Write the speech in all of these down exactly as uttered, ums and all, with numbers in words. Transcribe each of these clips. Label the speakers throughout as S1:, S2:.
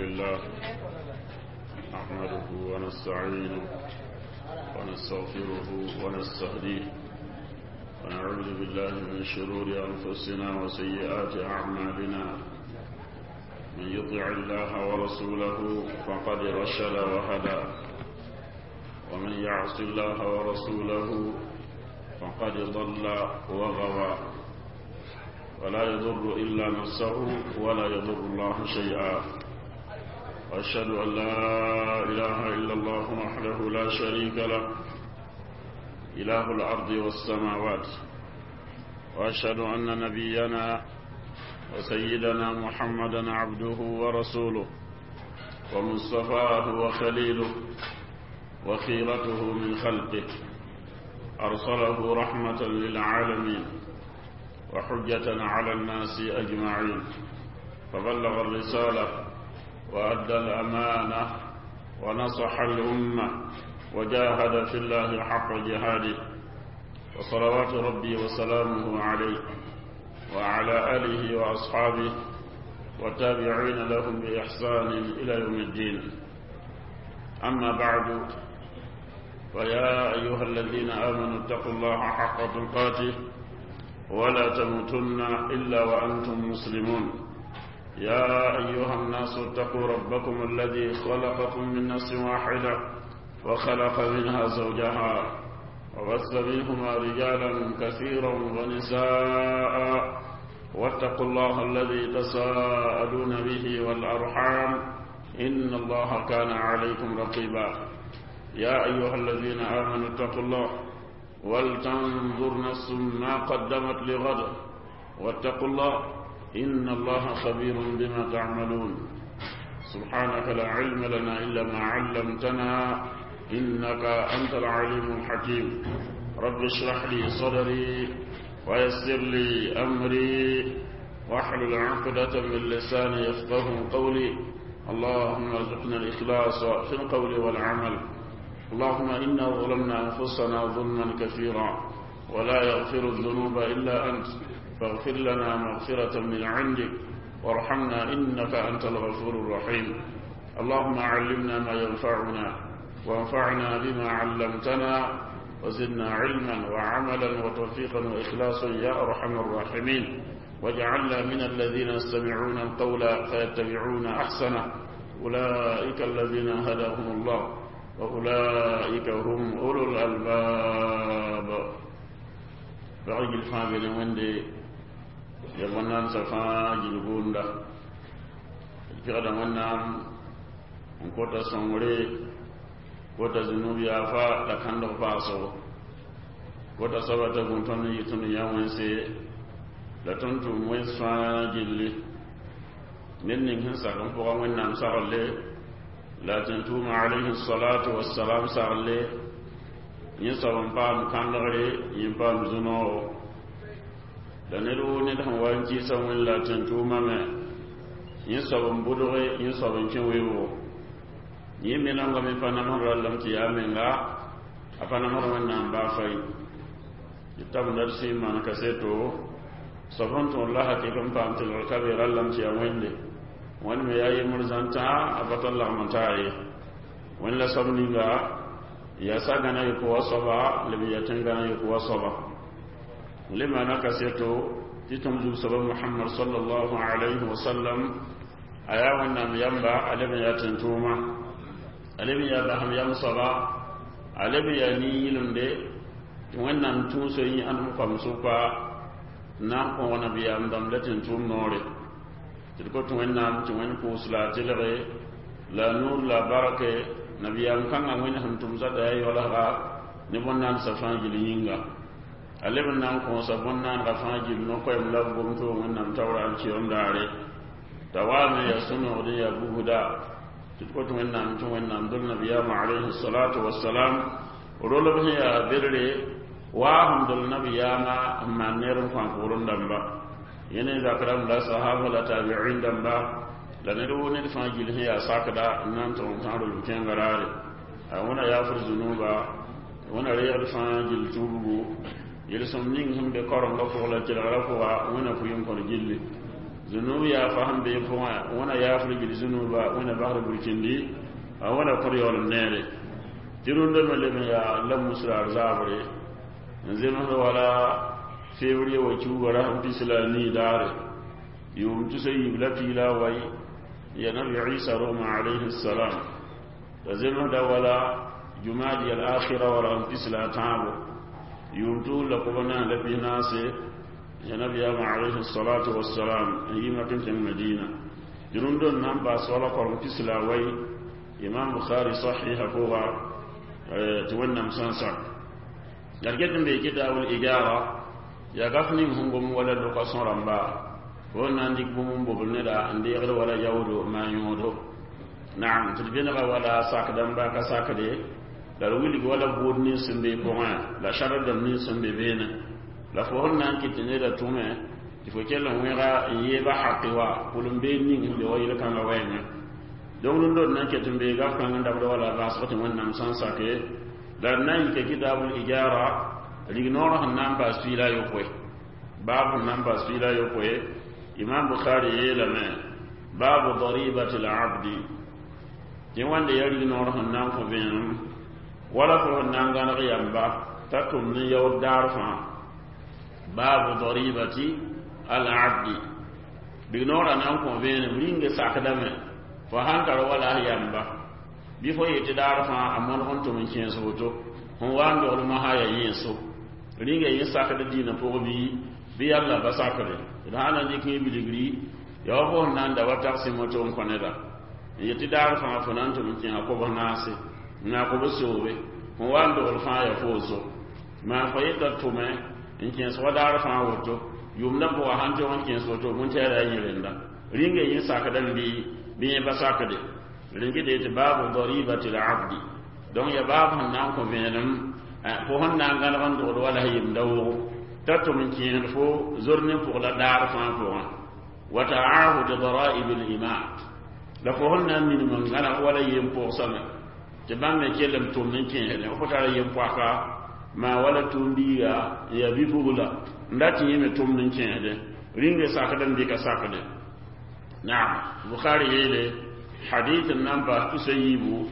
S1: لله نحمده ونستعينه ونستغفره ونستهديه ونعوذ بالله من شرور أنفسنا وسيئات أعمالنا من يطع الله ورسوله فقد رشد وهدى ومن يعص الله ورسوله فقد ضل وغوى ولا يضر إلا نفسه ولا يضر الله شيئا وأشهد أن لا إله إلا الله وحده لا شريك له إله الأرض والسماوات وأشهد أن نبينا وسيدنا محمدا عبده ورسوله ومصطفاه وخليله وخيرته من خلقه أرسله رحمة للعالمين وحجة على الناس أجمعين فبلغ الرسالة وأدى الأمانة ونصح الأمة وجاهد في الله حق جهاده وصلوات ربي وسلامه عليه وعلى آله وأصحابه والتابعين لهم بإحسان إلى يوم الدين أما بعد فيا أيها الذين آمنوا اتقوا الله حق تقاته ولا تموتن إلا وأنتم مسلمون يا أيها الناس اتقوا ربكم الذي خلقكم من نفس واحدة وخلق منها زوجها وبث منهما رجالا كثيرا ونساء واتقوا الله الذي تساءلون به والأرحام إن الله كان عليكم رقيبا يا أيها الذين آمنوا اتقوا الله ولتنظر نفس ما قدمت لغد واتقوا الله إن الله خبير بما تعملون سبحانك لا علم لنا إلا ما علمتنا إنك أنت العليم الحكيم رب اشرح لي صدري ويسر لي أمري واحلل عقدة من لساني يفقه قولي اللهم ارزقنا الإخلاص في القول والعمل اللهم إنا ظلمنا أنفسنا ظلما كثيرا ولا يغفر الذنوب إلا أنت فاغفر لنا مغفرة من عندك وارحمنا إنك أنت الغفور الرحيم اللهم علمنا ما ينفعنا وانفعنا بما علمتنا وزدنا علما وعملا وتوفيقا وإخلاصا يا أرحم الراحمين واجعلنا من الذين يستمعون القول فيتبعون أحسنه أولئك الذين هداهم الله وأولئك هم أولو الألباب بعيد الفامل وندي يبنان سفا جلبوندا pɩgda wẽnnaam n kota sõngre kota zunub yaafa la kãndg paasgo kota soaba t'a gũ tõnd n yɩ tõnd yã wẽnse la tõnd tʋʋm wẽns fãa gilli ned ning sẽn sak n pʋga wẽnnaam saglle la tẽn-tʋʋma alayhi salatu wassalam sagle yẽ soab n paam kãndgre yẽ paam zu-noogo la ned woo ned sẽn wa n kɩɩsa wẽnd la tẽn-tʋʋma me yẽ soab n bʋdge yẽ soab n kẽ weoogo yẽ me nongame pa namsd rallame tɩ yaa menga a pa namsd wẽnnaam baa fay tɩ tabenda d sẽn maan kaseto soab sẽn tõod la hakɩk n paam tɩlgr ka be rallame tɩ yaa wẽnde wẽnd me yaa yembr zãn-tãa a pa tar lagm n taa ye wẽnd la soab ninga yaa sagãna yʋk wa soaba leb n yaa tẽngãna yʋk wa soaba le maana kaseto tɩ tõm zug-soaba mohamad sallallahu alayhi wa sallam a yaa wẽnnaam yamba a leb n yaa tẽn-tʋʋma a leb n yaa basem yam soaba a leb n yaa nin-yɩlemde tɩ wẽnnaam tũuso yĩ ãdem koam sʋka n na n kõg nabiyaam dãmb la tẽn-tʋʋm noore tɩ d kot wẽnnaam tɩ wẽnd pʋʋs la a tɩlge la a nuur la a barke nabiyaam kãngã wẽnd sẽn tʋm zata yaa yaoolsga ne bõn-naandsã fãa gill yĩnga a leb n na n kõosa bõn-naanegã fãa gill no-koɛɛm la b gom-toog wẽnnaam taoora n kɩ daare t'a waame yaa sũ-noogd n yaa bugsda tɩ d kot wẽnnaam tɩ wẽnnaam dol nabiyaamã alayhi salatu wasalam rolb sẽn yaa bedre waa sẽn dol nabiyaamã n maan neer n kõ a pʋgrẽ dãmba yẽne zakram la sahaba la tabi'in dãmba la ned woo ned fãa gill sẽn yaa sakda n na n tʋg n tãag rolb kẽnga raare a wẽna yaafr zunuba wẽna reegd fãa gill tuubgu yel-sõm ning sẽn be karenga pʋg la kelgrã pʋga wẽna pʋɩ n kõr gilli Zunub yaa fa sẽn bee pʋgẽ wẽna yaafr gil zunuba wẽna basd burkindi a wẽna kõd yaoolem neere tɩ rũndã me leb n yaa la musraar zaabre n zemsd wala février wa kiuga rasem pis la a nii daare yʋʋm tusa yiib la piig la a wai ya nabi isa rogma alayhi salam la zemsda wala jumadi al akhira wa rasem pis la a tãabo yʋʋm tuus la kob naas la pis naase ya nabiyama alayhi salatu wassalam n yi mak n kẽng madina tɩ rũndã n na n baas wala korem pis la a wai imam bukhari sahiha pʋga tɩ wẽnnaam sã n sak la d get n bee kitabul ijara yaa gaf ning sẽn gom wala loka-sõng rãmba fo n na n dɩk bũmb n bobl neda n deegd wala yaoodo maa yõodo naam tɩ d vẽnega wala sakdãmba ka sakde la d wilg wala buud nins sẽn be pʋgẽ la sãd dãmb nins sẽn be beene la fo sẽn na n kɩt tɩ neda tʋme tɩ fo kell n wẽga n yeeba haqi wa pʋlem-beed ning sẽn be wa yel-kãngã wɛɛngẽ donc rũndã d na n ket n bee gaf kãng n dabd wala basg tɩ wẽnnaam sã n sake la d na n yika kitabul ijara rignoor sẽn na n baas piila a yopoe baab sẽn na n baas piila a yopoe imam bukhari yeelame baabu daribati labdi tɩ wãnde ya rignoor sẽn na n kõ vẽenem wala fo sẽn na n gãneg yamba t'a tʋmd n yaood daar fãa baabu daribati alabdi rignoorã na n kõ vẽenem rĩnga sakdame fo sãn tar wala a yamba bɩ fo yetɩ daar fãa a mõlg n tʋm n kẽes woto sẽn wa n dogl mosã yaa yẽeso rĩnga yẽ sakd dĩinã pʋg bɩ bɩ yalla pa sakde d sã na n dɩk yẽ bilgri yaa wa fo sẽn na n da wa tagsɩ moto n kõ neda n yetɩ daar fãa fo na n tʋm n kẽesa kobs naase n yaa kobs soobe sẽn wa n dogl fãa yaa fooso maa fo yeta tʋme n kẽes wa daar fãa woto yʋʋmdã pʋga sãn tog n kẽes woto bõn-tɛɛra a yẽ rẽnda rĩnga yẽ sakdame bɩ bɩ yẽ pa sakde rĩngde tɩ baabu daribati labdi donc ya baab sẽn na n kõ vẽenem fo sẽn na n gãneg n dogd wala yemda wogo t'a tʋm n kẽesd fo zor ne pʋg la daar fãa pʋgẽ wa taahud daraib lima la fo sẽn na n minim n gãneg wala yem pʋgsame tɩ bãmb me kell n tʋmd n kẽesdẽ fo tara yem poaka maa wala tʋʋm-biiga n yaa bi-pugla n dat yẽ me tʋmd n kẽesdẽ rĩnga sakdame bɩ ka sakde naam bukhari yeele hadith n na n paas tusa yiibu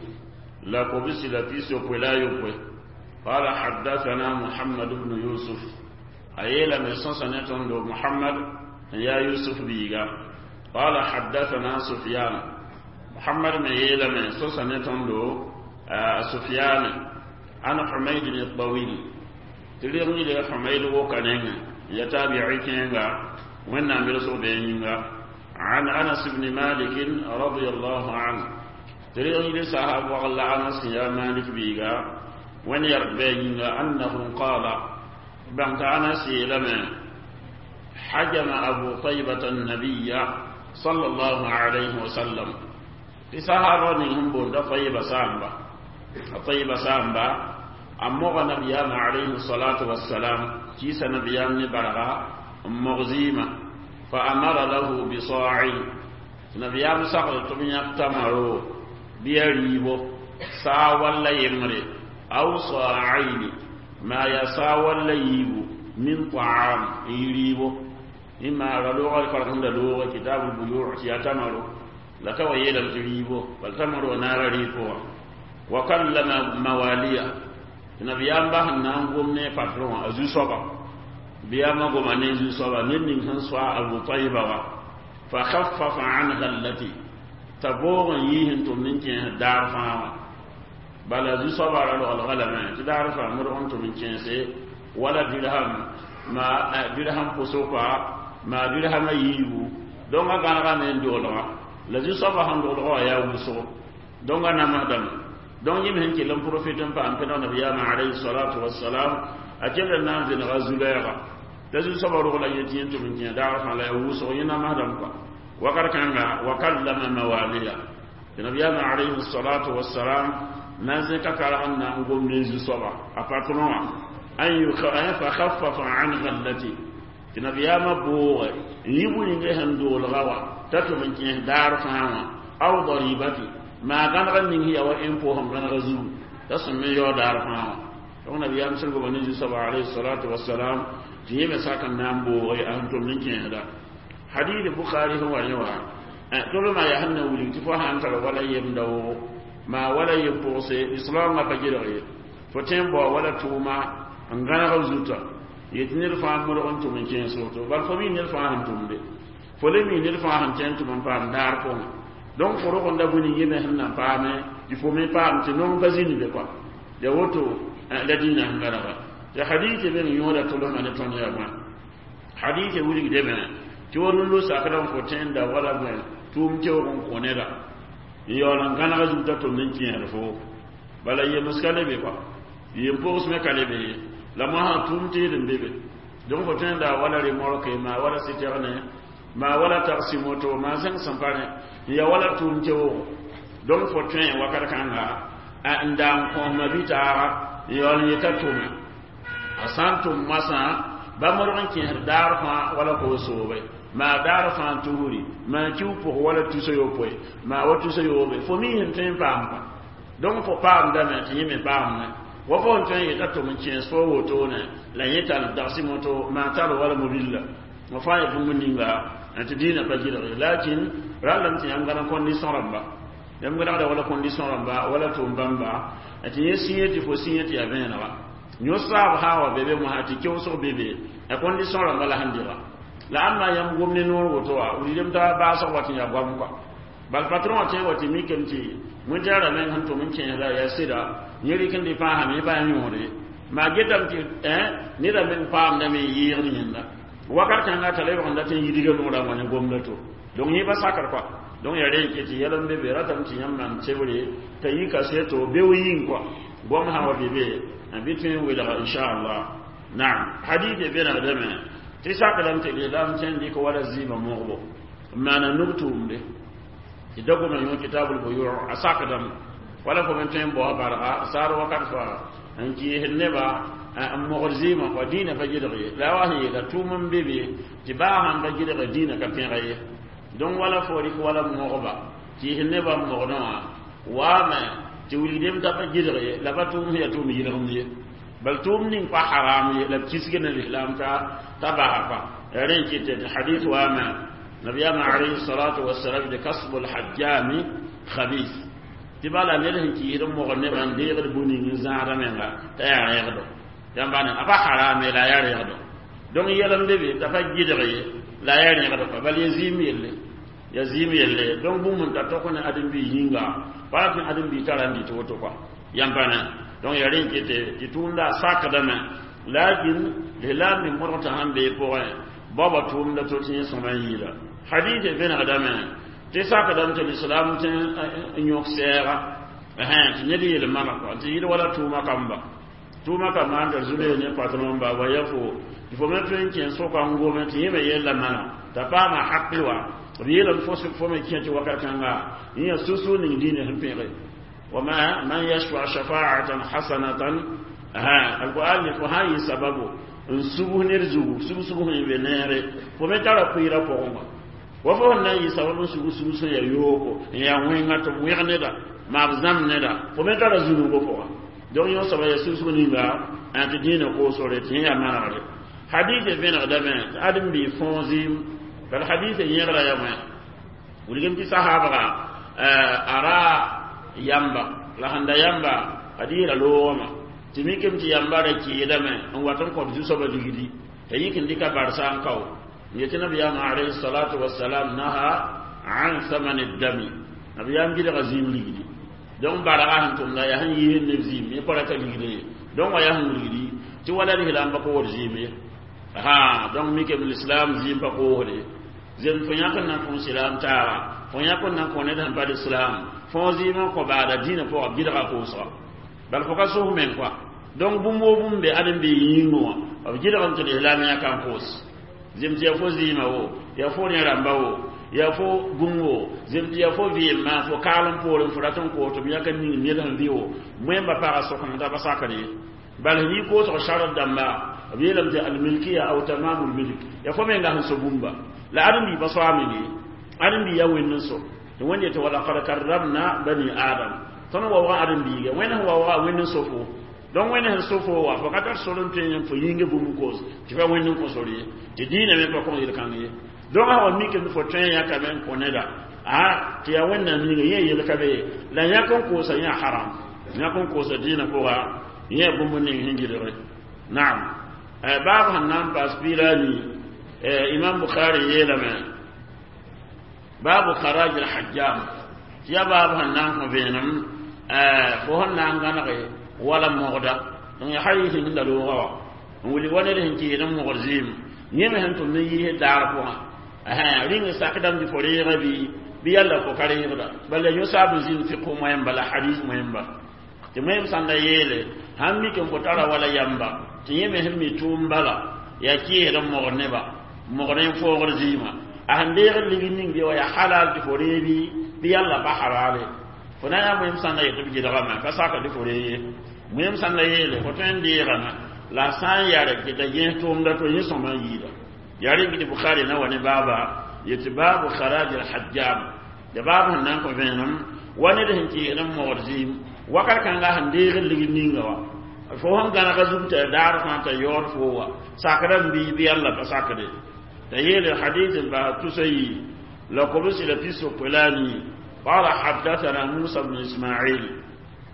S1: la kobsi la pis yopoe la a yopoe qala haddathana muhammad bnu yusuf a yeelame sõsa ne tõndo muhammad n yaa yusuf biiga qala haddathana sufyan muhammad me yeelame sõsa ne tõndo sufyan an humaydin الطويل tɩ reg yɩle humayd woka nengẽ ya tabi'i kẽenga wẽnnaam belsg bee yĩnga عن أنس بن مالك رضي الله عنه تريد لسحاب وغل أنس يا مالك بيغا وين يربينا أنه قال بنت أنس لما حجم أبو طيبة النبي صلى الله عليه وسلم لسحاب هم بند طيبة سامبا طيبة سامبا أمغ نبينا عليه الصلاة والسلام كيس نبيان برغا مغزيمة فأمر له بصاع نبيام سقط تمن تمرو بيريبو سا ولا يمري أو صاعين ما يسا ولا يبو من طعام يريبو إما رلوغ الفرقم لوغ كتاب البيوع يتمرو لتوى يلم تريبو بل تمرو نار ريبو وكلم مواليا نبيام به نانغوم ني باترون أزو صبا biyama goma ne zu-soaba ned ning sẽn soa abu tayba wa fa khaffafa an gallati t'a boog n yiis n tʋmd n kẽes daar fãa wã bala zu-soaba ra roglga lame tɩ daar fãa modg n tʋm n kẽese wala dirham ma dirham pʋsʋka maa dirhama yiibu donc a gãnegame n doolga la zu-soaba sẽn doolga wã yaa wʋsgo donc a namsdame donc yẽ me sẽn kell n profit n paam pẽneg nabiyaamã alayhi salatu wassalam a kell n na n vẽnega zu-lɛɛga t'a zu-soaba rogla yetɩ yẽ tʋm n kẽ daar fãa la yaa wʋsg yẽ namsdame kɔa wakat kãnga wa kallama mawaliya tɩ nabiyaamã alayhi salatu wassalam na n zẽka karg n na n gom ne zu-soaba a patron wã an fa khaffafa an gallati tɩ nabiyaamã booge n yi bu-yĩngã sẽn doolga wã t'a tʋm n kẽes daar fãa wã aw daribati maa gãneg ning yaa wa impôt sẽn gãnega zugu t'a sẽn me yao daar fãa wã donc nabiyaam sẽn goma ne zu-soaba alayhi salatu wassalam tɩ yẽ me sak n na n booge a sẽn tʋmd n kẽesda Hadith Bukhari sẽn wa yẽ wã tʋlmã yaa sẽn na wilg tɩ fo sã n tar wala yemda wʋgo maa wala yem pʋgse islaamã pa gɩlg ye fo tõe n bao wala tʋʋma n gãneg zuta yetɩ ned fãa modg n tʋm n kẽes woto bal fo mi ned fãa sẽn tʋmde fo le mi ned fãa sẽn tẽ n tʋm n paam daar pʋgẽ donc fo rog n da bũni yẽ me sẽn na paame tɩ fo me paam tɩ nong pa zĩnd be kɔa ya woto la dĩinã sẽn gãnega tɩ hadith be n yõoda tʋlsmã ne tõnd yaa bõe hadith wilgdame tɩ wa rũndo sakda n fo tẽn da wala bõe tʋʋm teoog n kõ neda n yaool n gãnega zuta tʋmd n kẽesd fo bala yems ka le be kɔa yem pʋgs me ka le be ye la moasã tʋʋm teed n be be donc fo tõe n da wala remorke maa wala citerne maa wala taxi moto maa zẽng sẽn pa rẽ n ya wala tʋʋm teoogo donc fo tõe wakat kãnga n da n kõsma bɩ-taaga n yaool n yeta tʋme a sã n tʋm moasã ba modg n kẽesd daar fãa wala koos-soobe maa daar fãa tusri maa kiu pʋg wala tusa yopoe maa wa tusa yoobe fo mi sẽn tõe n paam kɔa donc fo paamdame tɩ yẽ me paamme wa fo n tõe n yeta tʋm n kẽes fo wotone la yẽ tall taxi moto maa tar wala mobile la fãa ya bũmb ninga tɩ dĩinã pa gɩlg lakin rallame tɩ yãmb gãna condition rãmba yãmb gãnegda wala condition rãmba wala tʋʋm bãmba tɩ yẽ sĩyẽ tɩ fo sĩyẽ tɩ yaa vẽenega yõ-saab sã wa be be mosã tɩ keoosg be be a condition rãmba la sẽn dɩga la ãmba yãmb gom ne noor woto wa wilgdem t'a baasg wa tɩ yaa goam kɔa bal patron wã tõe wa tɩ mikame tɩ wẽntaarã meng sẽn tʋm n kẽesda yaa sɩda yẽ rɩk n dɩ pãasame yẽ pa yaa yõode maa getame tɩ neda meng paamdame n yɩɩgd yẽnda wakat kãnga t'a lebg n dat n yidga noorã wã ne gomda to donc yẽ pa sakr kɔa donc yaa rẽ n ket tɩ yɛl n be be ratame tɩ yãmb maan tebre t'a yi kaseto beo yĩng kɔa goam sã wa be be bɩ tõe n welga inchallah naam hadith vẽnegdame tɩ sakdame tɩ lislaam tõe n dɩk wala zɩɩmã mogbo n maana nug tʋʋmde tɩ da goma yõ kitabul buyu a sakdame wala fo me tõe n bao barga saar wakat faa n kɩɩsd neba n mogd zɩɩmã kɔa dĩinã pa gɩlg ye la a wa sẽn yeela tʋʋm n be be tɩ baa sãn pa gɩlga dĩinã ka pẽga ye donc wala fo rɩk wala mogba kɩɩsd nebã n mogdẽ wã waame tɩ wilgdem t'a pa gɩlg ye la pa tʋʋm sẽn yaa tʋʋm yɩlgemd ye bal tʋʋm ning pa haram ye la b kisg ne lislaam t'a t'a basa pa yaa rẽ n kɩtɛ tɩ hadith waame nabiyama alayhi salatu wasalam de kasbu lhajjami khabith tɩ bala ned sẽn kɩɩsd n mogd nebã n deegd bũ-ning n zãada menga t'a yaa rẽegdo yãmba ne a pa harame la a yaa rẽegdo donc yɛl n be be t'a pa gɩlg ye la a yaa rẽegdo pa bal ya zɩɩm yelle ya zɩɩm yelle donc bũmb n ta tɔk ne ãdem-biig yĩnga pa tɩ ãdem-biig tara n dɩt woto kɔa yãmba ne donc yaa rẽ n kete tɩ tʋʋmda a sakdame lakin lislaam me modg t'a sãn bee pʋgẽ baoba tʋʋmda to tɩ yẽ sõma n yɩɩla hadith vẽnegdame tɩ sakdame tɩ lislaam tɩ n yõk sɛɛga tɩ ned yel mama kɔa tɩ yɩl wala tʋʋma kamba tʋʋma kamba sãn tar zu-loe ne patron ba wa ya fo tɩ fo me tõe n kẽ soka n gome tɩ yẽ me yella mana t'a paama haqi wa b yeelame fo fo me kẽ tɩ wakat kãnga yẽ yaa susug ning diinã sẽn pẽge وما من يشفع شفاعة حسنة ها القرآن fo sã n yɩ sababu n subs ned zugu sug-sug sẽn be neere fo me tara pʋɩɩrã pʋgẽ wã wa fo sẽn na n yɩ sabab n sug sug sẽn yaa yooko n yaa wẽnga tɩ b wẽg neda maa b zãmb neda fo me tara zũnugã pʋga donc yõ soaba yaa sug-sug ninga tɩ dĩinã koosgre tɩ yẽ yaa manegre hadith vẽnegdame tɩ ãdem-biig fõo zɩɩm bal hadith yẽgra yaa wẽ wilgem tɩ sahaabga a ra yamba la sẽn da yamba ad yɩɩra loogame tɩ mikame tɩ yamba ra kɩɩdame n wat n kõt zu-soabã ligdi t'a yik n dɩka barsa n kao n yetɩ nabiyaamã alayhi salatu wasalam naha an thamani dami nabiyaam gɩlga zĩim ligdi donc barga sẽn tʋmda yaa sẽn yiisd neb zĩim yẽ pa rata ligd ye donc wa yaa sẽn wilgdi tɩ wala lislaam pa koosd zĩim ye ha donc mikame l'islam zĩim pa koosde zem fo yãk n na n kõ silaam taaga fo yãk n na n kõ ned sẽn pa l'islam fõ zĩim n kõ baada dĩinã pʋga b gɩlga koosga bal fo ka sos meng kɔa donc bũmb woo bũmb be ãdem-biig yĩngẽ wã b gɩlgem tɩ lislaam yãka n koos zem tɩ yaa fo zɩɩmã wo yaa fo rẽ rãmba wo yaa fo bũmb wo zem tɩ yaa fo vɩɩmã fo kaalem poorẽ fo rat n koos tɩ b yãk n ning ned sẽn vɩ wo wẽmba paga sokeng t'a pa sakr ye bal sẽn yɩ koosg sharт dãmba b yeelame tɩ almilkiya aw tamamul milk yaa fo menga sẽn so bũmba la ãdem-biig pa soaame ye ãdem-biig yaa wẽnd n so tɩ wẽnd yetɩ walaqad karramna bani adam tõnd waoogã ãdem-biiga wẽnd sẽn waooga wẽnd n so fo donc wẽnd sẽn so fo wa fo ka tar sor n tõe n fo yĩnga bũmb koos tɩ pa wẽnd n kõ sor ye tɩ dĩinã me pa kõ yel-kãng ye Donc a wa mik fo tõe n yãkame n kõ neda a tɩ yaa wẽnnaam ninga yẽ yel ka be la yãk n koosa yã haram yãk n koosa dĩinã pʋga yẽ bũmb ning sẽn gɩdge naam baab sẽn na n paas piira a nii imam bukhari yeelame baabu kharaj alhajjam tɩ yaa baab sẽn na n kõ vẽenem fo sẽn na n gãnege wala mogda donc ya hadis sẽn da looga wa n wilg wa ned sẽn kɩɩd n mogd zɩɩm yẽ me sẽn tʋmd n yiisd daar pʋgã rĩng sakdame tɩ fo reega bɩ bɩ yalla fo ka reegda bala yõ saab n zĩnd fiq moẽmba la hadis moẽmba tɩ moẽm sãn da yeele sãn mik n fo tara wala yamba tɩ yẽ me sẽn mi tʋʋm bala yaa kɩɩsd n mogd neba mogd n foogd zɩɩmã a sẽn deegd ligd ning bɩ wa yaa halal tɩ fo reebi bɩ yalla pa halale fo na yaa moẽm sãn da yet tɩ b gɩdgame ka saka tɩ fo ree ye moẽm sãn da yeele fo tõe n deegame la sã n yare tɩ ta gẽes tʋʋmda to yẽ sõma n yiida yaa rɩng tɩ bukhari na wa ne baaba yetɩ baabu kharaj alhajjam ya baab sẽn na n kõ vẽenem wa ned sẽn kɩɩsd n mogd zɩɩm wakat kãnga sẽn deegd ligd ninga wa fo sẽn gãnega zug t'a daar fãa t'a yaood fo wa sakra n bii bɩ yalla pa sakde t'a yeele hadis n bas tusa yi la kobsi la pis-yopoe la a nii قال حدثنا موسى بن إسماعيل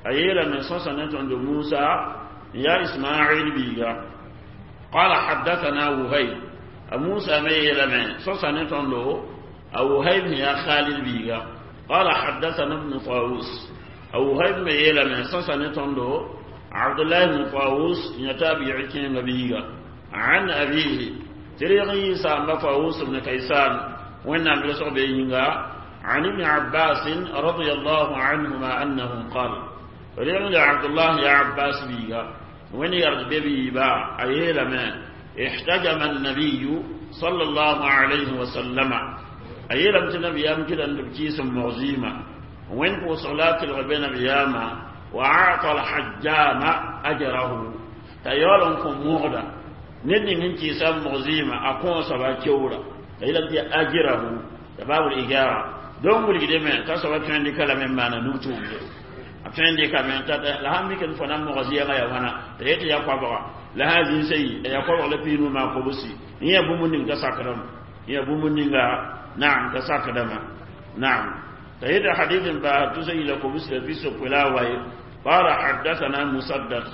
S1: أيلا من صوصة عند موسى يا إسماعيل بيغا قال حدثنا وهيب موسى ما يلا من صوصة عند وهيب يا خالد بيغا قال حدثنا ابن طاووس وهيب ما يلا من صوصة عند عبد الله بن طاووس يتابع كين بيغا عن أبيه تريغي سام طاووس بن كيسان وإن عبد الله عن ابن عباس رضي الله عنهما أنه قال رغم عبد الله يا عباس بيغا وين يرد بيبي با أيلا ما احتجم النبي صلى الله عليه وسلم أيلا النبي يمكن أن تبكيس مغزيمة وين هو صلاة الغبين بياما وأعطى الحجام أجره تيالنكم مغدا ندي من كيسان مغزيمة أكون سبا كيورا تيالا أجره باب الإجارة don wulgdeme t'a soaba tõe n dɩka lame n maana nug-tʋʋmde a tõe n dɩkame t'a la sãn mik n fo na n moga zɩɛgã ya wãna t'a yet tɩ ya koabga la sã zĩnsã yi a ya koabg la piis-nu maan kobsi yẽ yaa bũmb ning t'a sakdame yẽ yaa bũmb ninga naam t'a sakdame naam t'a yeta hadith n paas tusa yila kobsi la pis-yopoe la a waye qala haddathana musaddad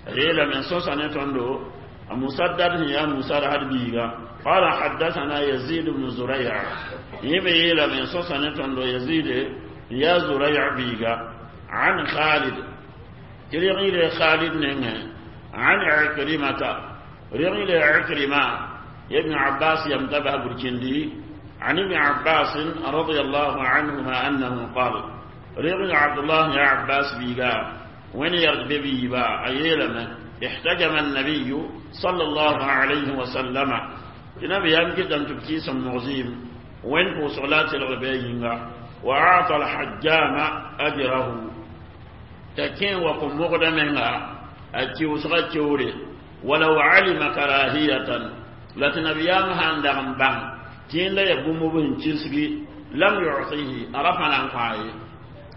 S1: a yeelame sõsa ne tõndo a musaddad sẽn yaa musarhad biiga قال حدثنا يزيد بن زريع يبي من صوصة نتندو يزيد يا زريع بيغا عن خالد تريغي خالد نينه عن عكرمة رغي عكرمة ابن عباس يمتبه بركندي عن ابن عباس رضي الله عنهما أنه قال رغي عبد الله يا عباس بيغا وين يرد بيبا أيلم احتجم النبي صلى الله عليه وسلم النبي يمكن أن تبكيس المغزيم وين هو صلاة الغبينة وأعطى الحجام أجره تكين وقم مغدمنا أتيو سغتيوري ولو علم كراهية لتنبيام هاندهم بان تين لا يبوم بهم تشسغي لم يعطيه أرفنا عن قاي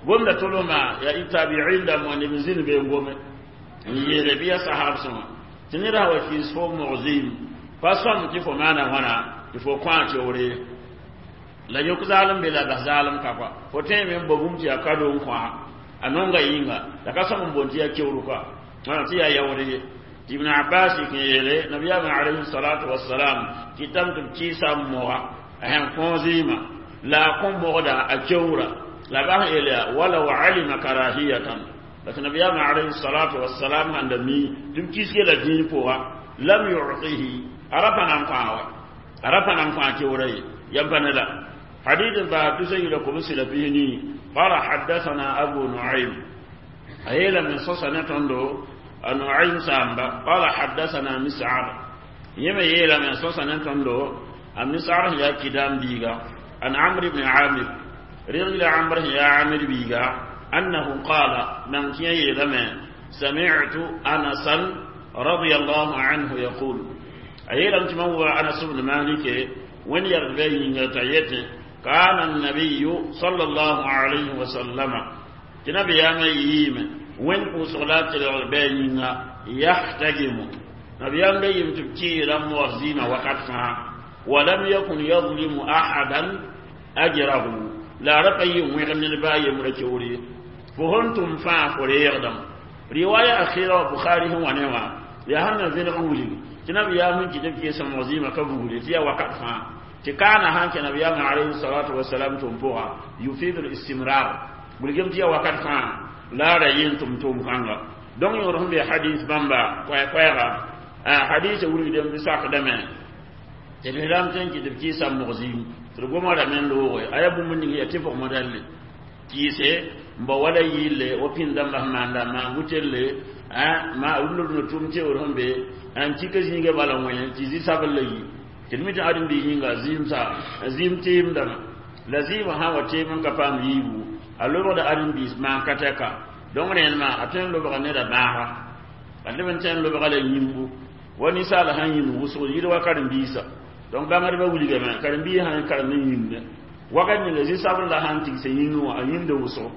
S1: قم تلوما يا إتابعين دم ونبزين بينهم يربيا صحاب سما تنرى وكيس فوق مغزيم pa sõm tɩ fo maana wãna tɩ fo kõ a keoore la yõk zaalem be la bas zaalem ka kɔa fo tõeme n bo bũmb tɩ yaa kado n kõ a nonga yĩnga la ka sõm n boond tɩ yaa keoor kɔa tɩ yaa yaood ye tɩ ibn abbas kẽ yeele nabiyaamã alayhi salatu wasalam kɩtame tɩ b kɩɩsa n moga a sẽn kõ zɩɩmã la a kõ mogda a keoora la bas n yeele yaa walaw alima karahiyatan la tɩ nabiyaamã alayhi salatu wasalam sãn da mi tɩ b kɩs la dĩin pʋga lam yu'tihi arafa nan kõ a ra pa nan kõ a keoora ye yam pa ne la حديث بعد تسيل كبس لبيني قال حدثنا أبو نعيم أيلا من صصنة تندو نعيم سامبا قال حدثنا مسعر يما يلا من صصنة تندو مسعر يا كدام بيغا عن عمرو بن عامر رغل عمرو يا عامر بيغا أنه قال من كي يلما سمعت أنسا رضي الله عنه يقول أيلا هو أنس بن مالك وين يربي تايته كان النبي صلى الله عليه وسلم تنبي يا ميم وين قصلات العبين يحتجم نبي يا ميم تبكي لم وزيمة وقتها ولم يكن يظلم أحدا أجره لا رقي ويغن الباي مركوري فهنتم فا فريغدم رواية أخيرة بخاري هو نوا يا هن فين قولي تنبي يا من كتب كيس مزيمة كبولي تيا وقت فا تكان هان كنبي عليه الصلاة والسلام تنبوها يفيد الاستمرار بلجم تيا وقت فا لا رأيين تم تم خانغا دون يورهم بحديث بامبا كوي كوي حديث ولد دم بساق دمه تلهلام تنكي تبكي سام مغزيم ترغما رمن لوغي ايا بومن نيغي تفق مدل كيسه mba wala yille wo pĩndãmba sẽn maanda maan wutelle ma rũndã rũndã tʋm teoor sẽn be n kika zĩigã bala wẽ tɩ zi-sabl la yi tɩ d mi tɩ ãdem-biis yĩnga zɩɩm-sa zɩɩm teemdame la zɩɩmã sã wa teem n ka paam yiibu a lobgda ãdem-biis maan ka tɛka donc rẽndmã a tõe n lobga neda bãaga a leb n tõe n lobga la yĩmbu wa ninsaal sãn yĩmd wʋsg yɩl wa karen-biisã donc bãngdbã wilgame karen-biis sãn karem n yĩmde wakat ninga zi-sabl la sãn tigsa yĩngẽ wã a yĩmda wʋsgo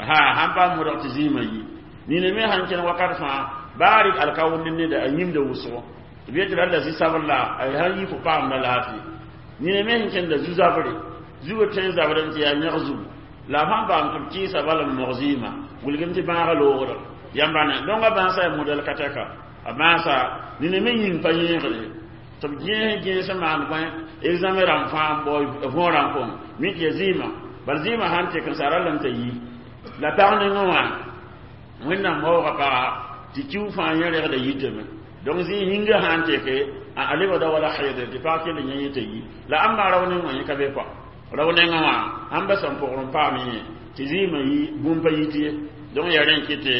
S1: ha sãn paam modg tɩ zɩɩmã yi nina me sãn kẽn wakat fãa baa rɩk alkawend neda a yĩmda wʋsgo tɩ b yetɩ la zi-sabl la a sãn yi fo paamda laafɩ nina me sẽn kẽnda zu-zabre zugã tõe n zabrem tɩ yaa yãg zugu la sãn paam tɩ b kɩɩsa bal n mog zɩɩmã wilgem tɩ bãagã loogda yãmba ne donc a bãasa yaa modɛl ka tɛka a bãasa nina me yĩng pa yẽegre tɩ b gẽes gẽes n maan bõe examen rãmb fãa n bao võorã n kõng mi tɩ ya zɩɩmã bal zɩɩmã sãn tek n sa ralame t'a yi la pag nengẽ wã wẽnnaam waooga paga tɩ kiu fãa yẽ regda yitame donc zĩ yĩngã sãn teke a lebgda wala xeedre tɩ pag kell yẽ yẽ t'a yi la ãmba rao neng wã yẽ ka be kɔa rao nengẽ wã ãmba sẽn pʋgr n paam yẽ tɩ zɩɩmã yi bũmb pa yit ye donc yaa rẽ n kɩte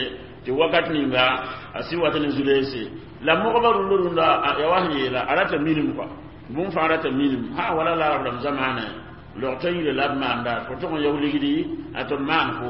S1: tɩ wakat ninga a sɩ wat ne zu-leese la mogba rũndã rũndã ya wa sẽn yeela a rata minim kɔa bũmb fãa rata minim ha wala la rab rãmb zamaanẽ log t'a yire la b maanda fo tʋg n yaoog ligdi a tɩ b maan fo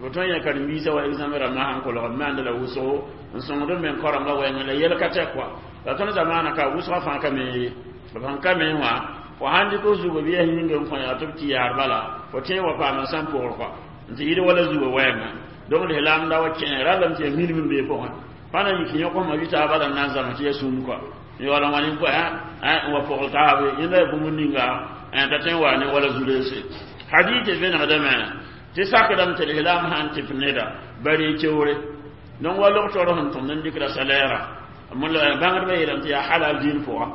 S1: fo tõe n yã karen-biisã wa examen rãmbã sãn kolg b maanda la wʋsgo n sõngd b meng karengã wɛɛngẽ la yɛl ka tɛk kɔa la tõnd zamaanã ka wʋsgã fãa ka me ye b sẽn ka me wã fo sãn dɩk f zugã bɩ yaa yĩngã n kõ yaa tɩ b tɩ yaar bala fo tẽ wa paam n sãn pʋgr kɔa n tɩ yɩd wala zugã wɛɛngã donc lislaam da wa kẽ ralame tɩ yaa minim n bee pʋgẽ pa na yik yõk ma vɩ taaba la n na n zãms tɩ yaa sũm kɔa yaoola wã ne n wa pʋgl taabe yẽnda yaa bũmb ninga t'a tõe n wa ne wala zu-leese hadith vẽnegdame tɩ sakdame tɩ lislaam sãn tɩp neda bari keoore donc wa log-tor sẽn tõmd n dɩkda salɛɛra bãngdbã yeelame tɩ yaa halal dĩin pʋga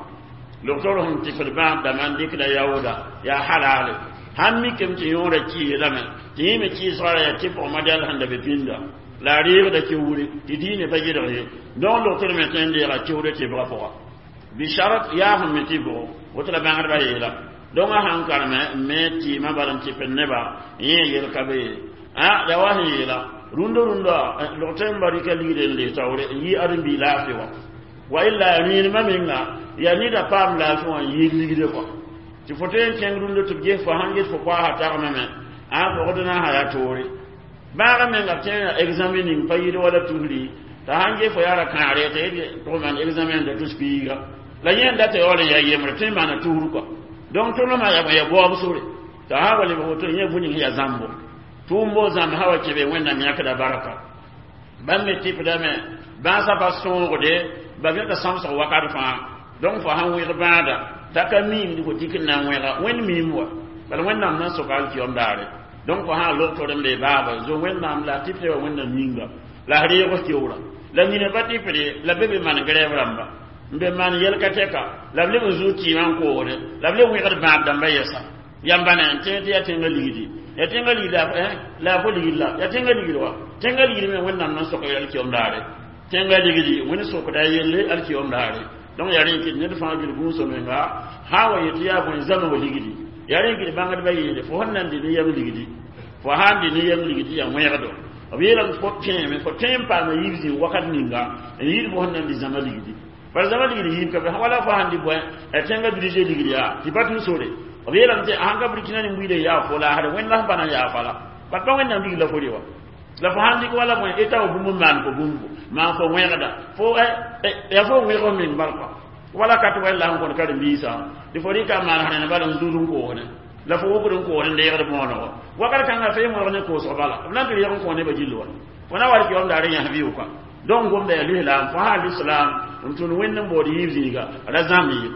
S1: log-tor sẽn tɩpd bãab dãmbã n dɩkda yaooda yaa halale sãn mikame tɩ yõorã kɩɩsdame tɩ yẽ me kɩɩsgã ra yaa tɩpg modɛl sẽn da be pĩnda la a reegda keoore tɩ diinã pa gɩdg ye donc log-tor me tõe n deega keoore tɩbgã pʋga bisharat yaa sẽn me tɩ bʋgo woto la bãngdbã yeela donc a sãn kareme n me tɩɩmã bala n tɩpd nebã yẽ yel ka be ye a ya wa sẽn yeela rũndã rũndã log-tɩ n ba rɩka ligd n lees taoore n yɩ ãdem-bii laafɩ wã wa illa rẽenemã menga yaa neda paam laafɩ wã n yɩɩd ligde kɔa tɩ fo tõe n kẽng rũndã tɩ b ges fo sãn get fo koaasa tagmame a pʋgd na n sa yaa toore bãagã menga b tẽ examen ning pa yɩd wala tusri t'a sãn ges fo yaa ra kãagre t'a yet tʋg maan examen da tus piiga la yẽ n data yaool n yaa yembre tõe n maana tusr kɔa donc tõnd yaa yaa baoob sore t'a sã wa lebg woto yẽ bũ ning yaa zãmbo tʋʋmbo zãmb sã wa kẽ be wẽnnaam yãkda barka bãmb me tɩpdame bãasã pa sõogde ba yõta sãmsg wakat fãa donc fo sãn wẽg bãada t'a ka miimd fo tik n na n wẽga wẽnd miim wa bala wẽnnaam na n soka alkiyom daare donc fo sã log tor n be baaba zo wẽnnaam la tɩpd wa wẽnnaam yĩnga la f reeg f keoora la nina pa tɩpde la be be maan grɛɛb rãmba n be maan yɛl ka tɛka la b leb n zuu tɩɩmã n koogde la b leb wẽgd bãab dãmbã yɛsa yãmba ne n tẽ tɩ yaa tẽngã ligdi ya tẽngã ligd la a fo ligd la ya tẽngã ligd wa tẽngã ligd me wẽnnaam na n sok alkiyom daare tẽngã ligdi wẽnd sokda a yelle alkiyom daare donc yaa rẽ kɩt ned fãa gil gũusã menga sã wa yetɩ yaa bõe zãma wa ligdi yaa rẽ kɩt bãngdbã yeele fo sẽn na n dɩ ne yɛm ligdi fo sãn dɩ ne yɛm ligdi yaa wẽgdo b yeelame fo tẽeme fo tõe n paama yiib zĩig wakat ninga n yɩɩd fo sẽn na n dɩ zãma ligdi bala zãma ligdi yiib ka be wala fo sãn dɩ bõe a tẽngã budget ligdi yaa tɩ pa tũ sore b yeelame tɩ sãn ka burkina ne buiida yaa fo laasre wẽnd la sẽn pa na n yaa fala bat pa wẽnnaam ligd la fo re wa la fo sãn dɩk wala bõe eta wa bũmb n maan fo bũmbo maan fo wẽgda fo ya fo wẽg f meng bal kɔa wala kat wɛl la sẽn kõn karen-biisã tɩ fo rɩka n maan sẽn bala n zud n koosdẽ la fo wokd n koosd n deegd mõonego wakat kãngã fe mõrg ne koosg bala b na n tɩ reg n kõ nebã gill wa fo na wa rɩk daare yãs bɩ kɔa donc gomda yaa lislaam fo sã lislaam n tũn wẽnd n bood yiib zĩiga ra zãmb ye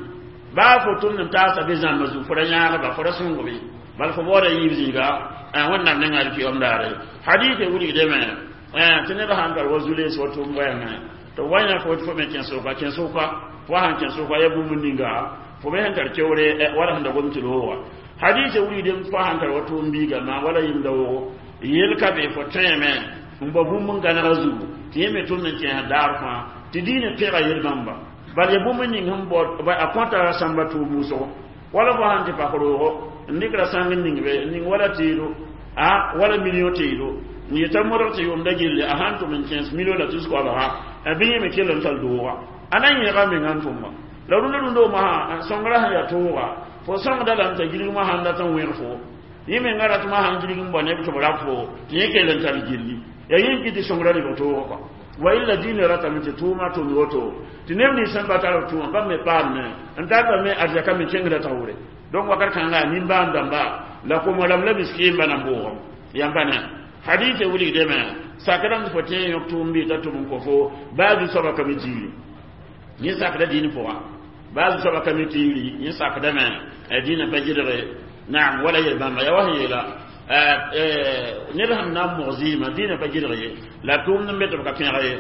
S1: Baa fo tʋmd n taasa be zãmba zugu fo ra yãagba fo ra sõngbe bal fo baooda yiib zĩiga wẽnnaam nengã alkiyom daare hadise wilgdame tɩ ned sãn tar wa zu-lees wa tʋʋm wɛɛngẽ tɩ b wa yã fo tɩ fo me kẽn-sʋka kẽn-sʋka fo sãn kẽn-sʋka ya bũmb ninga fo me sẽn tar keoore wala sẽn da gom tɩ rooga hadise wilgdem tɩ fo sãn tar wa tʋʋm biiga maa wala yĩmda wogo yel ka be fo tõeme n bao bũmb n gãnega zugu tɩ yẽ me tʋmd n kẽes daar fãa tɩ diinã pẽga yel-bãmba bal ya bũmb ning sẽn bao a kõta sãmba tʋʋm wʋsgo wala fo sãn tɩ pak roogo n dɩkra sãng ning be n ning wala teedo a wala million teedo n yeta modg tɩ yʋʋmda gilli a sãn tʋm n kẽes million la tus koabga bɩ yẽ me kell n tall dooga a na yẽega menga n tʋma la rũndã rũndã mosã sõngrã sẽn yaa tooga fo sõngda lame t'a gilg mosã n dat n wẽg fo yẽ menga rat mosã n gilg n bao neb tɩ b rab fo tɩ yẽ kell n tar gilli yaa yẽ n kɩ tɩ sõngrã rɩg toogã kɔa wa illa diinã ratame tɩ tʋʋmã tʋmd woto tɩ neb nins sẽn pa tar b tʋʋmã bãmb me paamne n tartame arzaka me kẽngda taoore donc wakat kãnga nimbãan dãmba la komo rãmb la miskiimba na n bʋʋgem yãmba ne hadise wilgdame sakdame tɩ fo tẽ n yõk tʋʋm bɩ t'a tʋm n kõ fo baa zu-soabã ka mi tiiri yẽ sakda dĩin pʋga baa zu-soabã ka mi tiiri yẽ sakdame dĩinã pa gɩdge naam wala yel-bãmba yaa wa sẽn yeela ned sẽn na n mog zɩɩmã dĩinã pa gɩdg ye la tʋʋmd n be tɩ b ka pẽg ye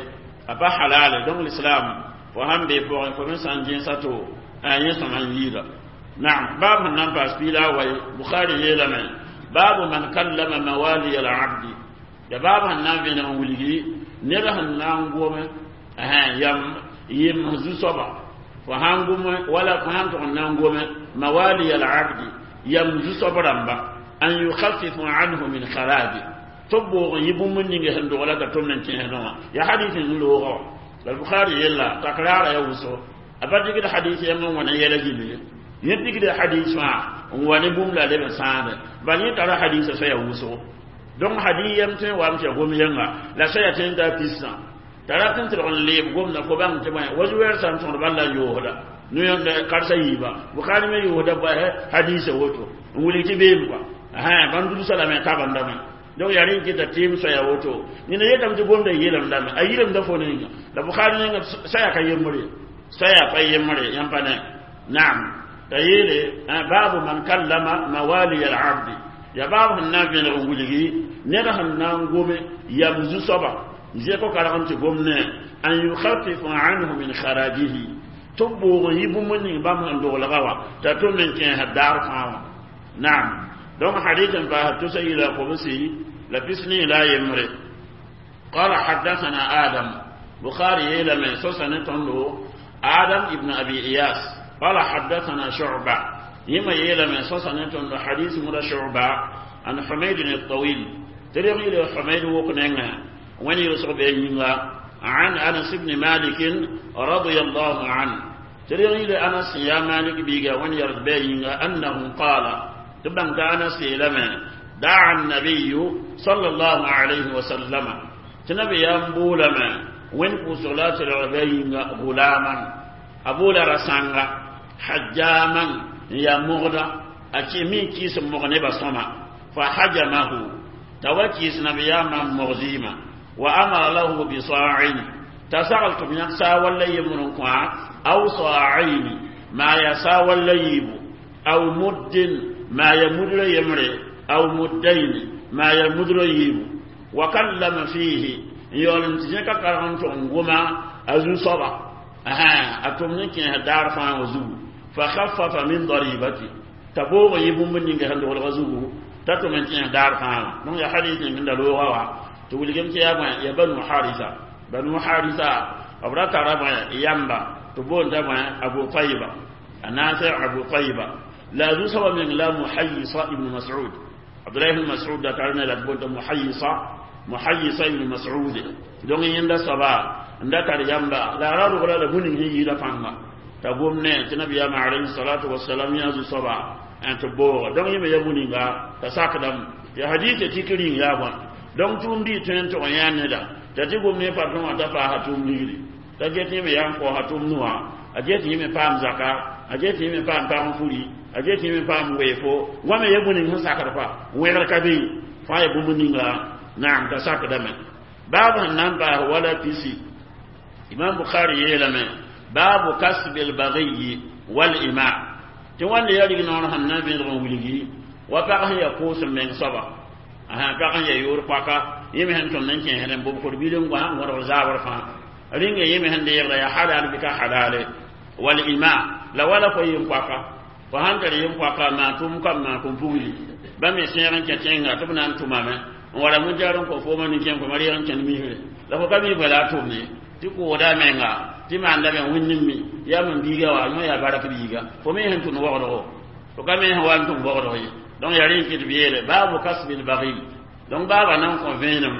S1: a pa halale donc l'islam fo sãn bee pʋgẽ fo me sã n gẽesa to yẽ sõma n yiida naam baab sẽn na n paas piila a wai bukhari yeelame baabu man kallama mawali al abdi ya baab sẽn na n vẽneg n wilgi ned sẽn na n gome yam yem zu-soaba fo sãn gome wala fo sãn tʋg n na n gome mawali al abdi yam zu-soab rãmba an yukhaffifu anhu min kharaji tɩ b boog n yɩ bũmb ninge sẽn dogla t'a tʋmd n kẽesdẽ wã ya hadis n loogã wã la bukhari yella takraara ya wʋsgo a pa dɩgd hadis yãmb n wã ne yɛla gilli ye yẽ pigda hadis wã n wa ne bũmb la leb n sãade bal yẽ tara hadisã soaya wʋsgo donc hadis yam tõe n wame tɩ ya gom yẽnga la soaya tõe n taa pisã t'a rat n tɩlg n leeb gomda fo bãng tɩ bõe wa zu-wɛɛr sã n tõgd bal la n yoosda noyõnda karsa yiiba bukhari me yoosda bõe hadisã woto n wilg tɩ beem kɔa bãmb dulsa lame tabandame donc yaa rẽ n kɩta tɩɩm soaya woto nina yetame tɩ gomda yeelemdame a yilemda fo ninga la bukhari ninga soaya ka yembre soaya pa yembre yãmb pa ne naam t'a yeele baabu man kallama mawali al abdi ya baab sẽn na n vẽneg n wilgi ned sẽn na n gome yam zu-soaba zẽk karg n tɩ gomne an yukhaffifu anhu min kharajihi tɩ b boog n yɩ bũmb ning bãmb sẽn doglga wã t'a tʋmd n kẽesd daar fãa wã naam donc hadith n paas tusa yila kobsi la pisni la yembre قال حدثنا آدم بخاري يلم سوسن تندو آدم ابن أبي إياس قال حدثنا شعبة يما يلم سوسن تندو حديث مر شعبة عن حميد الطويل تريغي له حميد وكننا وين يرسل بيننا عن أنس بن مالك رضي الله عنه تريغي له أنس يا مالك بيغا وين يرد بيننا أنه قال تبان أنس لما دعا النبي صلى الله عليه وسلم تنبي ينبولما وين قصلات العبين غلاما أبولا رسانغا حجاما يا مغدا أكي مين كيس مغني بصما فحجمه توكيس نبيا من مغزيما وأمر له بصاع تسغلت من سا يمرن أو صاعين ما يسا ولا يبو أو مد ما يمد يمري أو مدين ما يمد يبو وكلم فيه يولم تجنك كرهن تنغما أزو صبا أها أتمنى كي دار فان وزو فخفف من ضريبتي تبوغ يبو من نيغا هندو الغزو تتمنى كي دار فان نون يا حديث من دلوغا تقول كم يا يا بنو حارثة بنو حارثة أبرا ترى يامبا تبون تبا أبو طيبة النافع أبو طيبة لا ذو سبب من لا محيصة ابن مسعود عبد الله بن مسعود da tare da تبون محيصة محيصة ابن مسعود دون يندا سبا nda tar yamba la ra ru la bunin hi yida fanga ta gomne ti nabi ya alayhi salatu wassalam ya zu saba an to bo don yime ya bunin ga ta saka dam ya hadisi tikirin ya ba don tum di ten to ya ne da ta ti gomne pa to ta fa hatum ligri ta je ti me ya ko hatum nuwa a je ti me pam zaka a je ti me pam pam furi a je ti me pam wefo wa me ya bunin ha saka fa wer ka bi fa ya bunin ga na'am ta saka dam babu nan ba wala pisi imam bukhari yelame babu kasb al baghi wal ima Tɩ wãnde yaa rig-noor sẽn na n vẽedg n wilgi wa pag sẽn yaa koos n meng soaba pag sẽn yaa yoor paka yẽ me sẽn tõmd n kẽesd n bob kor-bil n goa n wõdg zaabr fãa rĩnga yẽ me sẽn deegda yaa halal bɩ ka halale wal ima la wala fo yem-poaka fo sãn tar yem-poaka maan tʋʋm kam maan kõn pugli bãmb me sẽeg n kẽ tẽnga tɩ b na n tʋmame n wala mʋjaar n kõ fooma nin-kẽem kõ reeg n kẽnd misre la fo ka mi bala a tʋmd ye tɩ kooda a menga tɩ maanda me wẽnd n mi yaa mam biiga wa yõ yaa barak biiga fo me sẽn tʋnd waoogdgo fo ka me sẽn wa n tʋm waoogdg ye donc yaa rẽ n kɩt b yeele baabu kasbil baghi donc baaba na n kõ vẽenem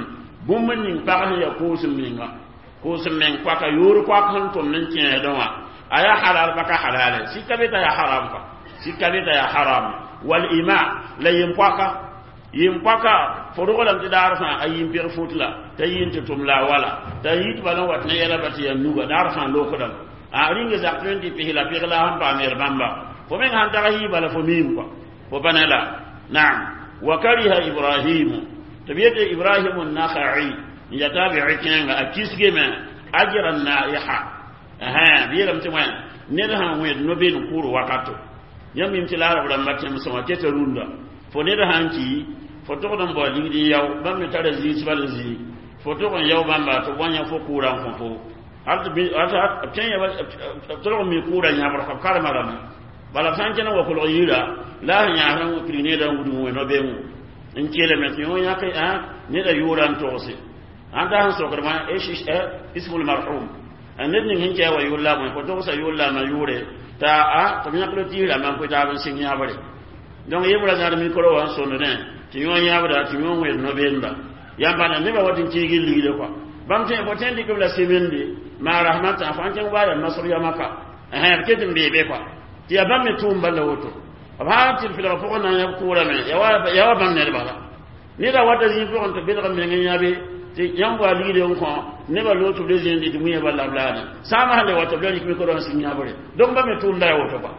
S1: bũmb ning pag sẽn yaa koos n menga koos n meng poaka yoor poak sẽn tʋmd n kẽesdẽ wã a yaa halal pa ka halale sika be t'a yaa haram pa sika be t'a yaa haram wal ima la yem-poaka yem-poaka fo roglame tɩ daar fãa a yĩn-peg fut la t'a yĩn tɩ tʋm la a wala t'a yit bala n wat ne yɛla ba tɩ yaa nuga daar fãa lokdame a rĩnga zak tõe n tɩ pis la peg la sẽn paam yɛl bãmba fo meng sãn tag yɩ bala fo miim kɔa fo pa ne la naam wa kariha ibrahimu tɩ b yetɩ ibrahimu nakhai n ya tabi'i kẽenga a kisgame ajra naiha b yeelame tɩ wã ned sãn wẽed no-been kʋʋr wakato yãmb mim tɩ la arab rãmba tẽmsẽ wã keta rũndã fo ned sãn ki fo togd n bao ligd n yao bãmb me tara zĩis bal n zĩig fo tog n yao bãmba tɩ wa yã fo kʋʋrã n kõ fo tolg n mi kʋʋrã yãbr b karema rame bala b sã n kẽn n wa kolg yira la a sẽn yãasd n pirig needã n wudg wẽ no-beengo n kelme tɩ yõ yãk neda yʋʋra n togse ãn ta sẽn sokd wã ismul marhum ned ning sẽn kɛ wa yʋʋr la bõe fo togsa yʋʋr la a ma yʋʋre t'a a tɩ b yãkd tiisrã man koe taab n sɩng yãbre donc yebra zãad mikro wã n sõndnẽ tɩ yõ yãbda tɩ yõ wẽed no-beenda yãmba na nebã wat n kiigi ligde kɔa bãmb tẽ fo tõe n dɩk b la semende maa rasmãtã fo sãn kẽng waa yaa masr yamaka b ket n bee be kɔa tɩ yaa bãmb me tʋʋm bala woto b sãn tɩ d filg pʋgẽ na n yãb kʋʋrame yaa wa bãmb ned bala neda wata zĩig pʋgẽ tɩ belg meng n yãbe tɩ yãmb wa ligde n kõ nebã loog tɩ b le zẽende tɩ wĩyã bala b laane sãama sẽn le wa tɩ b la rɩk mikro n sɩng yãbre donc bãmb me tʋʋmda ya woto kɔa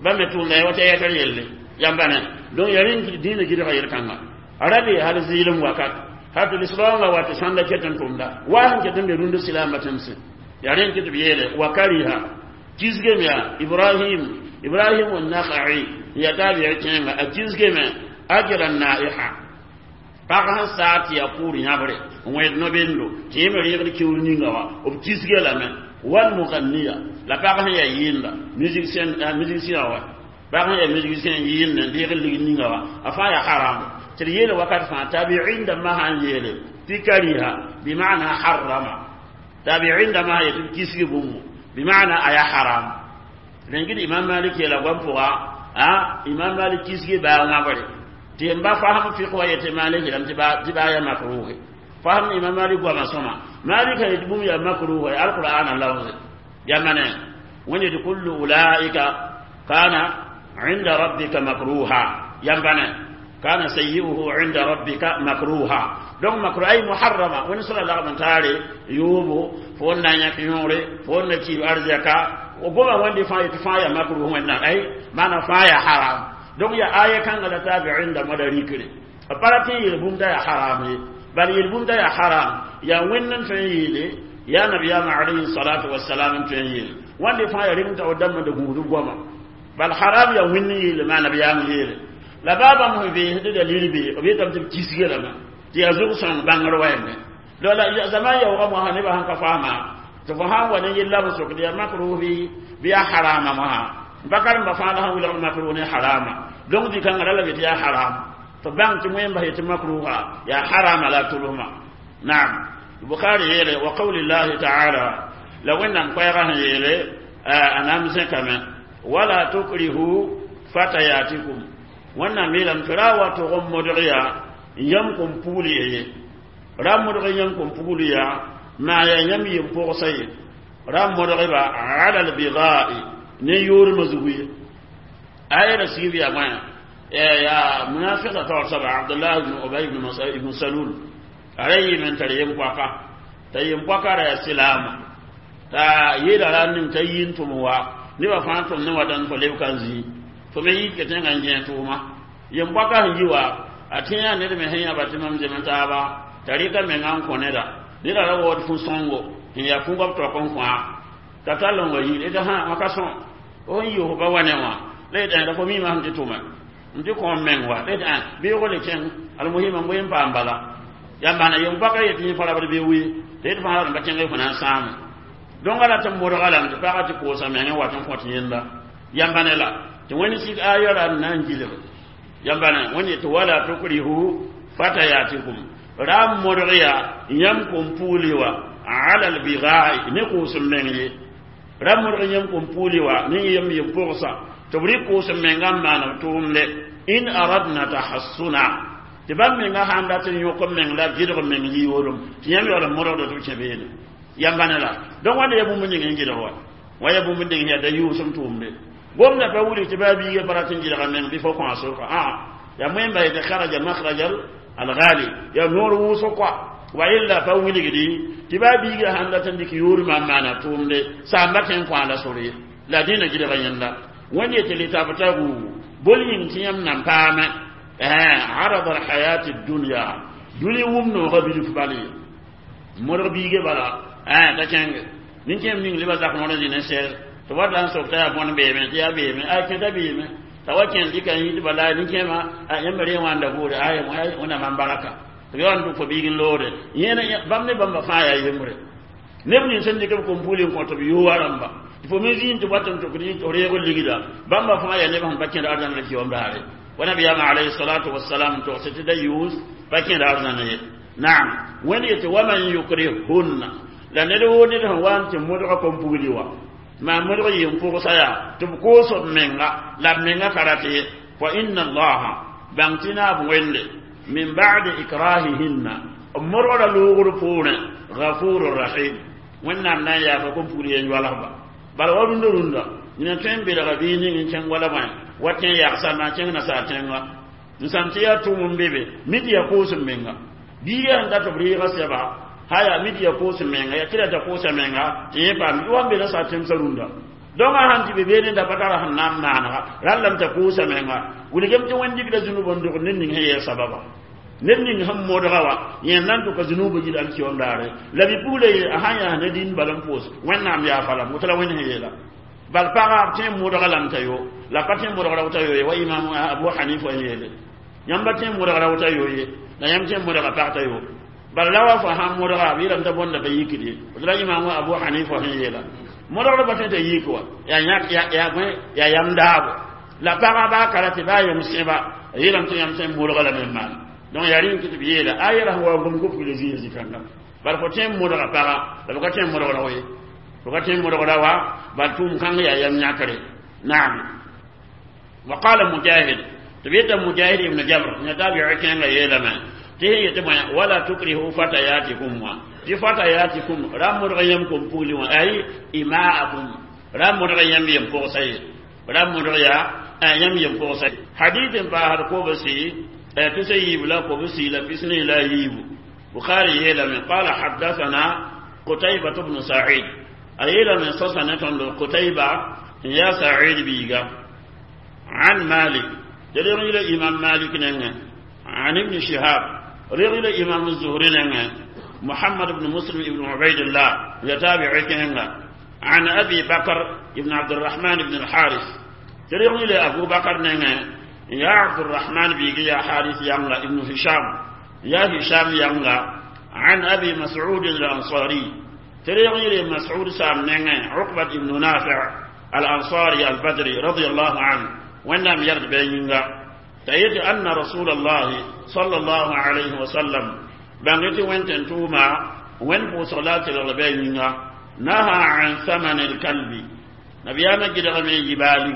S1: bãmb me tʋʋmda ya wata yɛtr yelle yãmba ne donc yaa rẽn dĩinã gɩdga yel-kãnga a ra bee hal zɩɩlem wakat hal tɩ lislaoongã wa tɩ sãnda ket n tʋmda wa sẽn ket n be rũnd silaambã tẽmsẽ yaa rẽn kɩ tɩ b yeele wa kariha kisgem yaa ibrahim ibrahim nakhai n yaa taabiɛ kẽenga a kisgeme ajra naiha pag sẽn saa tɩ yaa kʋʋr yãbre n wẽed no-bendo tɩ yẽ me reegd kiuur ninga wã b kisge lame wal muganniya la pag sẽn yaa yɩɩnda musicien wa pag sẽn yaa musicien yɩɩnd n deeg lig ninga wã a fãa yaa haram tɩ d yeele wakat fãa tabiin dãmbã sãn yeele tɩ kariha bimana harrama tabiin dãmbã sã yetɩ b kisgi bũmbu bimana a yaa haram rẽn imam malik yeela goam pʋga a imam malik kisgi baa wãbre tɩ n ba fasem fɩk wa yetɩ malik yeelame tɩ baa yaa makruhe fasem imam malik goamã sõma malik yetɩ bũmb yaa makruhe alqur'ana lafze yamane wẽnd yetɩ kullu ulaika kana inda rabbika makruha yambane kana sayyi'uhu inda rabbika makruha donc makruh ay muharrama wẽnd sẽn la lagm n taare yoobo fo n na n yãk yõore fo n na kiib arzɛka goma wẽnde fãa yetɩ fãa yaa makruh wẽnnaam ay maana fãa yaa haram donc yaa aya kãnga la taabiin dãmbã da rikre b pa rat n yeel bũmb t'a yaa haram ye bal yel bũmb t'a yaa haram yaa wẽnd n tõe n yeele yaa nabiyaamã alayhi salatu wasalam n tõe n yeele wãnde fãa yaa reng t'a dãmbã da gũud b goama bal haram yaa wẽnd n yeele maa nabiyaam yeele la baa bãmb sẽn veesd dalil be b yetame tɩ b kisge lame tɩ yaa zug-sõng bãngr wɛɛme la zaman yaoogã mosã nebã sẽn ka faama tɩ fo sãn wa ne yella b sokd yaa makruh bɩ bɩ yaa harama mosã ba karemba fãa la sẽn wilgd makruh ne harama donc dɩ-kãngã ra la be tɩ yaa haram tɩ bãng tɩ wẽn bas yetɩ makruha yaa harama la tʋlsmã naam bukhari yeele wa qawli llahi taala la wẽnnaam koɛɛgã sẽn yeele a nam zẽkame wala tukrihu fatayatikum wẽnnaam yeelame tɩ ra wa tʋg n modg yaa yãmb kõn pugl ye ra modg yãmb kõn pugl yaa maa yaa yãmb yem-pʋgsa ye ra modgba ala lbigai ne yoormã zugu ye aya ra sigb yaa bõe yaa munafiqa taoor soaba abdullah ibn ubay ibn salul a ra yɩɩme n tar yem-poaka t'a yem-poaka ra yaa silaama t'a yeela ra ning t'a yɩ n tʋm wa nebã fãa tʋm ne wa dãn fo leb ka n zĩi fo me yik tẽngã n gẽ tʋʋma yem-poaka sẽn yi wa a tẽ yaa ned me sẽn yãba tɩ mam zem taaba t'a rɩka menga n kõ neda neda ra waood fu-sõngo sẽn yaa fu-goab taok n kõa t'a tall n wa yir d hã wã ka sõ f sẽn yɩ f ba wa ne wã La yetɩ la fo miimã sẽn tɩ tʋma n tɩ kõom meng wa la yetɩ beoogo le kẽng almuhima n bõe n paam bala yãmb na yem baka yetɩ yẽ fa rabd bɩ wi tɩ yetɩ fãa rãmba kẽng fo na n sãame dõnga la tɩ modga lame tɩ pagã tɩ koosa meng n wat n kõt yẽnda yãmba ne la tɩ wẽnd sik aya ra n na n gilg yãmba ne wẽnd yetɩ wala tukrihu fatayatikum ra n modg yaa yãmb kom puuli wa ala albigai ne kʋʋs n meng ye ra modg yãmb kom puuli wa ne yem yem pʋgsa tɩ b rɩk kʋʋs n menga n maan b tʋʋmde in aradna tahassuna tɩ bãmb menga sãn dat n yõk n meng la gɩdg meng yiyoolem tɩ yãmb yaool n modgda tɩ b kẽ beene yãmba ne la donc wãnda ya bũmb ning n gɩdg wa wa ya bũmb ning yaa da yʋʋsem tʋʋmde gomda pa wilg tɩ baa biiga pa rat n gɩdga meng bɩ fo kõ a soka ã ya moẽmba yetɩ kharaja makhrajal alghali ya noor wʋsg koa wa illa pa wilgdi tɩ baa biiga sãn dat n dɩk yoormã n maana tʋʋmde saamba kẽ n kõ a la sor ye la dẽna gɩdga yẽnda wẽnd yetɩ litabtagu bol yĩng tɩ yãmb nan paame arad alhayati dunya dũni wʋm noogã bilf bal ye modg biige bala t'a kẽnge nin-kẽem ning lebã zak noor n zĩ ne sɛɛs tɩ wa la n sok t'a yaa bõn beeme tɩ yaa beeme a kẽta beeme t'a wa kẽnd dɩka n yit bala nin-kẽemã yãmb re wãnda buure ay wẽnnaam n baraka tɩ b yaool n dʋk fo biig n loode yẽna bãmb ne bãmba fãa yaa yembre neb nins sẽn dɩk b kom-puuli n kõ tɩ b yooa rãmba tɩ fo me zĩig tɩ wat n tʋkd tɩ reeg ligda bãmba fãa yaa neb sẽn pa kẽd arzãn la kiom daare wa nabiyaamã alayhi salatu wasalam togs tɩ da yʋʋs pa kẽd arzãn ye naam wẽnd yetɩ waman yukrihunna la ned woo ned sẽn wa n tɩ modga kom-pugli wa maa modg yɩ n pʋgsa yaa tɩ b koos b menga la b menga ka rat ye fa inna allaha bãng tɩ naab wẽnde min ba'di ikrahihinna b modgra loogr poorẽ gafuru rahim wẽnnaam na n yaafa kom-pugl yen yoalsba bala wa rũndã rũndã nina tõe n belga bii ning n kẽng wala bõe wa kẽ yagsa maa kẽng nasaar tẽnga n sãm tɩ yaa tʋʋm n be be mi tɩ yaa koos n menga biiga sẽn dat b reega sɛba haya mi tɩ yaa koos n menga yaa tɩ ra t'a koosa menga tɩ yẽ paam wa n be nasaar tẽmsã rũndã donc a sãn tɩ be beene da pa tara sẽn na n maanega rallame t'a koosa menga wilgem tɩ wẽnd dɩkda zũnub n dog ned ning sẽn yɛɛ sababa ned ning sẽn modga wa yẽ na n tʋka zũnubã yil alkiyom daare la bi-pugla ye a sãn yaa ne dĩn bala n pʋʋs wẽnnaam yaafa lame woto la wẽnd sẽn yeela bal pagã b tõe n modga lame t'a yo la pa tõe n modgra wota yo ye wa imam abu hanifa n yeele yãmba tõe n modgra wota yo ye la yãmb tõe n modga pag t'a yo bala la wa fo sãn modga b yeelame t'a bõnda pa yikd ye woto la imam abu hanifa sẽn yeela modgd pa tõe t'a yik wa yaa yãk yaa bõe yaa yam daabo la pagã baa ka ra tɩ baa yem sẽba a yeelame tɩ yãmb tõe n modga lame n maan donc yaa rẽnd tɩ b yeela a yɛla sẽn wa gom ko pugla zĩig zĩ-kãnga bala fo tõe n modga paga la b ka tõe n modgra ye fo ka tõe n modgra wa bal tʋʋm kãng yaa yam yãkre naam wa qala mujahid tɩ b yeta mujahid ibn jabr yã tabi'i kẽngã yeelame tɩ sẽn yetɩ bõe wala tukrihu fatayatikum wã tɩ fatayatikum ra modg yãmb kom pugli wã ay imaakum ra modg yãmb yem pʋgsa ye ra modg yaa yãmb yem pʋgsa hadith n paasd kobsi تسا yiib la kobsi la pisni la yiibu bukhari yeelame qala haddathana qutaybة bnu sa'id a yeelame sosa ne tõnd qutayba n yaa sa'id biiga an malik tɩ reg yila imam malik nengẽ an ibn shihab reg yila imam zuhri nengẽ محمد بن مسلم بن عبيد الله يتابع كهنغا عن أبي بكر بن عبد الرحمن بن الحارث تريغ إلى أبو بكر نغا يا عبد الرحمن بيجي يا حارث يانغا ابن هشام يا هشام يانغا عن أبي مسعود الأنصاري تريغ إلى مسعود سام نغا عقبة بن نافع الأنصاري البدري رضي الله عنه وإنهم يرد بينغا تأيد أن رسول الله صلى الله عليه وسلم بانغتي وين توما وين بو صلاة الغبينغا نهى عن ثمن الكلب نبيانا جدغمي جبالي